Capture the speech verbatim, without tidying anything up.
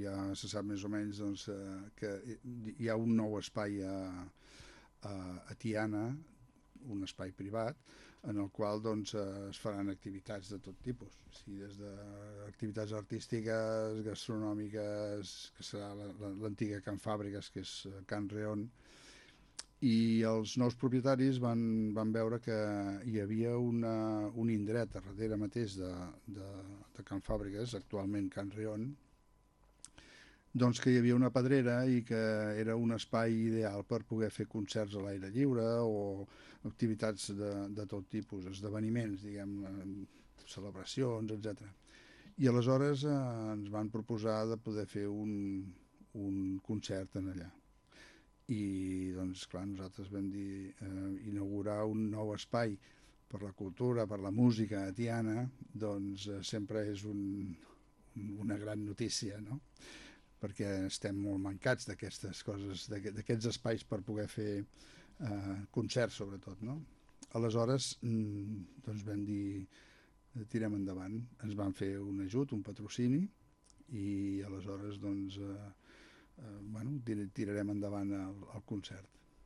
ja se sap més o menys doncs, que hi ha un nou espai a, a, a Tiana, un espai privat, en el qual doncs, es faran activitats de tot tipus, o sigui, des d'activitats artístiques, gastronòmiques, que serà l'antiga Can Fàbriques, que és Can Reon, i els nous propietaris van, van veure que hi havia una, un indret a darrere mateix de, de, de Can Fàbriques, actualment Can Reon, doncs que hi havia una pedrera i que era un espai ideal per poder fer concerts a l'aire lliure o activitats de, de tot tipus, esdeveniments, diguem, celebracions, etcètera. I aleshores eh, ens van proposar de poder fer un, un concert en allà. I doncs clar, nosaltres vam dir eh, inaugurar un nou espai per la cultura, per la música a Tiana, doncs eh, sempre és un, un, una gran notícia, no? Perquè estem molt mancats d'aquestes coses, d'aquests espais per poder fer eh, concerts sobretot, no? Aleshores doncs vam dir tirem endavant, ens van fer un ajut, un patrocini, i aleshores doncs eh, eh, bueno, tirarem endavant el, el concert.